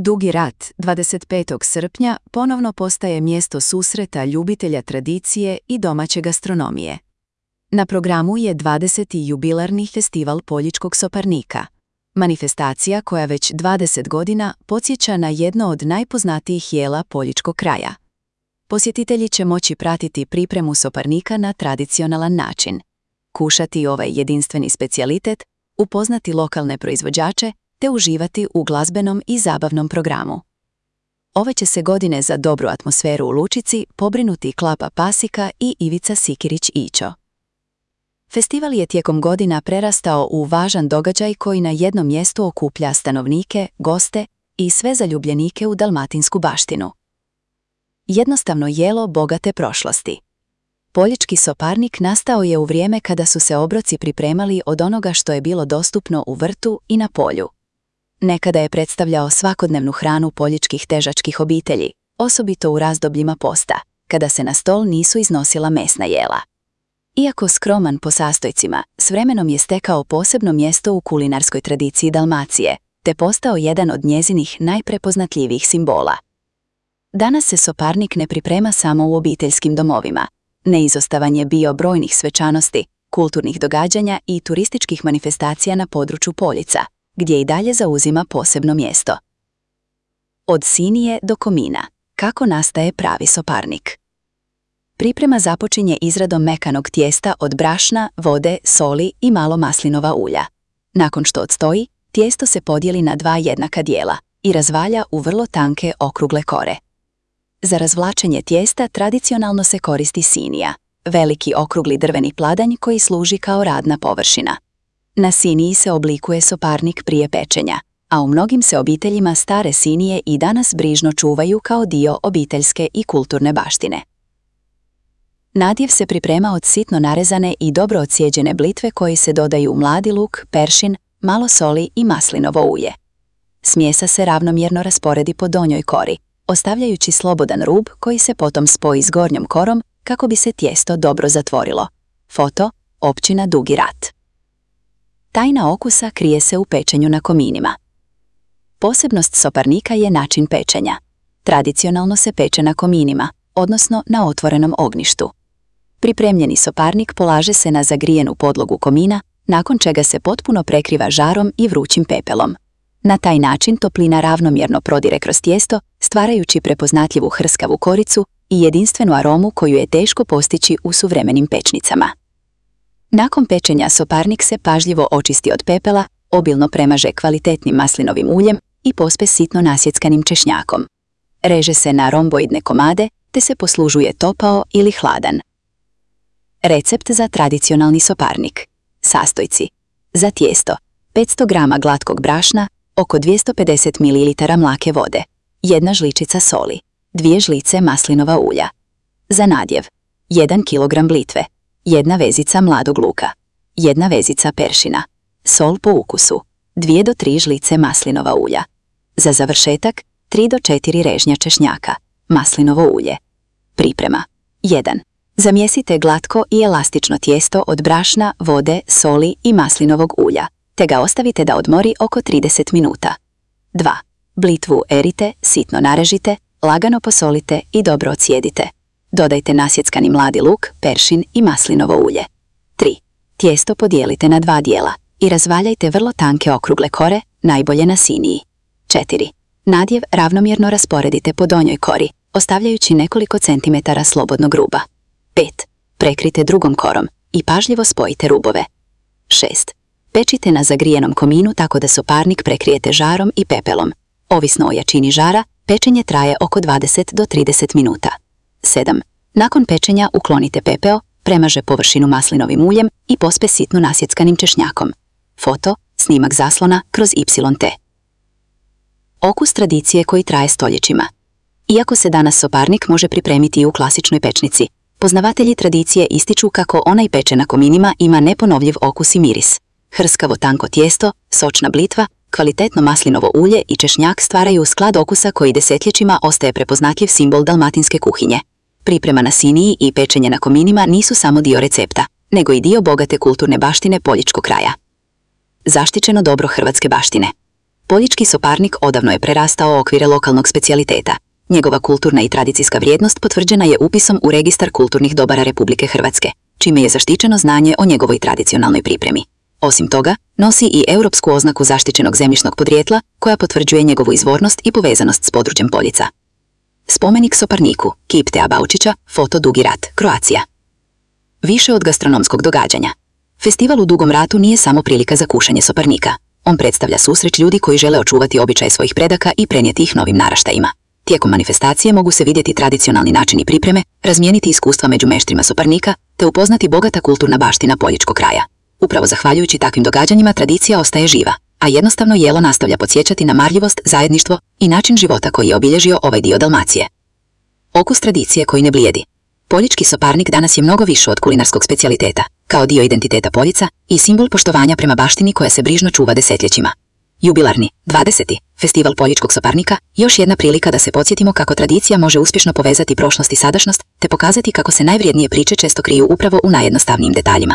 Dugi rat 25. srpnja ponovno postaje mjesto susreta ljubitelja tradicije i domaće gastronomije. Na programu je 20. jubilarni festival Poljičkog soparnika, manifestacija koja već 20 godina podsjeća na jedno od najpoznatijih jela Poljičkog kraja. Posjetitelji će moći pratiti pripremu soparnika na tradicionalan način, kušati ovaj jedinstveni specijalitet, upoznati lokalne proizvođače te uživati u glazbenom i zabavnom programu. Ove će se godine za dobru atmosferu u Lučici pobrinuti Klapa Pasika i Ivica Sikirić-Ićo. Festival je tijekom godina prerastao u važan događaj koji na jednom mjestu okuplja stanovnike, goste i sve zaljubljenike u dalmatinsku baštinu. Jednostavno jelo bogate prošlosti. Poljički soparnik nastao je u vrijeme kada su se obroci pripremali od onoga što je bilo dostupno u vrtu i na polju. Nekada je predstavljao svakodnevnu hranu poljičkih težačkih obitelji, osobito u razdobljima posta, kada se na stol nisu iznosila mesna jela. Iako skroman po sastojcima, s vremenom je stekao posebno mjesto u kulinarskoj tradiciji Dalmacije, te postao jedan od njezinih najprepoznatljivijih simbola. Danas se soparnik ne priprema samo u obiteljskim domovima. Neizostavan je bio brojnih svečanosti, kulturnih događanja i turističkih manifestacija na području Poljica, gdje i dalje zauzima posebno mjesto. Od sinije do komina. Kako nastaje pravi soparnik? Priprema započinje izradom mekanog tijesta od brašna, vode, soli i malo maslinova ulja. Nakon što odstoji, tijesto se podijeli na 2 jednaka dijela i razvalja u vrlo tanke okrugle kore. Za razvlačenje tijesta tradicionalno se koristi sinija, veliki okrugli drveni pladanj koji služi kao radna površina. Na siniji se oblikuje soparnik prije pečenja, a u mnogim se obiteljima stare sinije i danas brižno čuvaju kao dio obiteljske i kulturne baštine. Nadjev se priprema od sitno narezane i dobro odsjeđene blitve koji se dodaju mladi luk, peršin, malo soli i maslinovo ulje. Smjesa se ravnomjerno rasporedi po donjoj kori, ostavljajući slobodan rub koji se potom spoji s gornjom korom kako bi se tijesto dobro zatvorilo. Foto, općina Dugi rat. Tajna okusa krije se u pečenju na kominima. Posebnost soparnika je način pečenja. Tradicionalno se peče na kominima, odnosno na otvorenom ognjištu. Pripremljeni soparnik polaže se na zagrijenu podlogu komina, nakon čega se potpuno prekriva žarom i vrućim pepelom. Na taj način toplina ravnomjerno prodire kroz tijesto, stvarajući prepoznatljivu hrskavu koricu i jedinstvenu aromu koju je teško postići u suvremenim pečnicama. Nakon pečenja soparnik se pažljivo očisti od pepela, obilno premaže kvalitetnim maslinovim uljem i pospe sitno nasjeckanim češnjakom. Reže se na romboidne komade te se poslužuje topao ili hladan. Recept za tradicionalni soparnik. Sastojci. Za tijesto 500 g glatkog brašna, oko 250 ml mlake vode, 1 žličica soli, 2 žlice maslinova ulja. Za nadjev 1 kg blitve, 1 vezica mladog luka, 1 vezica peršina, sol po ukusu, 2 do 3 žlice maslinova ulja. Za završetak 3 do 4 režnja češnjaka, maslinovo ulje. Priprema. 1. Zamjesite glatko i elastično tijesto od brašna, vode, soli i maslinovog ulja, te ga ostavite da odmori oko 30 minuta. 2. Blitvu erite, sitno narežite, lagano posolite i dobro odsjedite. Dodajte nasjeckani mladi luk, peršin i maslinovo ulje. 3. Tijesto podijelite na 2 dijela i razvaljajte vrlo tanke okrugle kore, najbolje na siniji. 4. Nadjev ravnomjerno rasporedite po donjoj kori, ostavljajući nekoliko centimetara slobodnog ruba. 5. Prekrite drugom korom i pažljivo spojite rubove. 6. Pečite na zagrijenom kominu tako da soparnik prekrijete žarom i pepelom. Ovisno o jačini žara, pečenje traje oko 20 do 30 minuta. 7. Nakon pečenja uklonite pepeo, premaže površinu maslinovim uljem i pospe sitno nasjeckanim češnjakom. Foto, snimak zaslona kroz YT. Okus tradicije koji traje stoljećima. Iako se danas soparnik može pripremiti i u klasičnoj pečnici, poznavatelji tradicije ističu kako onaj peče na kominima ima neponovljiv okus i miris. Hrskavo tanko tijesto, sočna blitva, kvalitetno maslinovo ulje i češnjak stvaraju sklad okusa koji desetljećima ostaje prepoznatljiv simbol dalmatinske kuhinje. Priprema na siniji i pečenje na kominima nisu samo dio recepta, nego i dio bogate kulturne baštine Poljičkog kraja. Zaštićeno dobro hrvatske baštine. Poljički soparnik odavno je prerastao okvire lokalnog specijaliteta. Njegova kulturna i tradicijska vrijednost potvrđena je upisom u Registar kulturnih dobara Republike Hrvatske, čime je zaštićeno znanje o njegovoj tradicionalnoj pripremi. Osim toga, nosi i europsku oznaku zaštićenog zemljišnog podrijetla koja potvrđuje njegovu izvornost i povezanost s područjem Poljica. Spomenik soparniku, kip Tea Baučića, foto Dugi rat, Kroacija. Više od gastronomskog događanja. Festival u Dugom ratu nije samo prilika za kušanje soparnika. On predstavlja susret ljudi koji žele očuvati običaje svojih predaka i prenijeti ih novim naraštajima. Tijekom manifestacije mogu se vidjeti tradicionalni načini pripreme, razmijeniti iskustva među meštrima soparnika, te upoznati bogata kulturna baština poljičkog kraja. Upravo zahvaljujući takvim događanjima tradicija ostaje živa, a jednostavno jelo nastavlja podsjećati na marljivost, zajedništvo i način života koji je obilježio ovaj dio Dalmacije. Okus tradicije koji ne blijedi. Poljički soparnik danas je mnogo više od kulinarskog specijaliteta, kao dio identiteta Poljica i simbol poštovanja prema baštini koja se brižno čuva desetljećima. Jubilarni, 20. Festival poljičkog soparnika, još jedna prilika da se podsjetimo kako tradicija može uspješno povezati prošlost i sadašnjost, te pokazati kako se najvrijednije priče često kriju upravo u najjednostavnijim detaljima.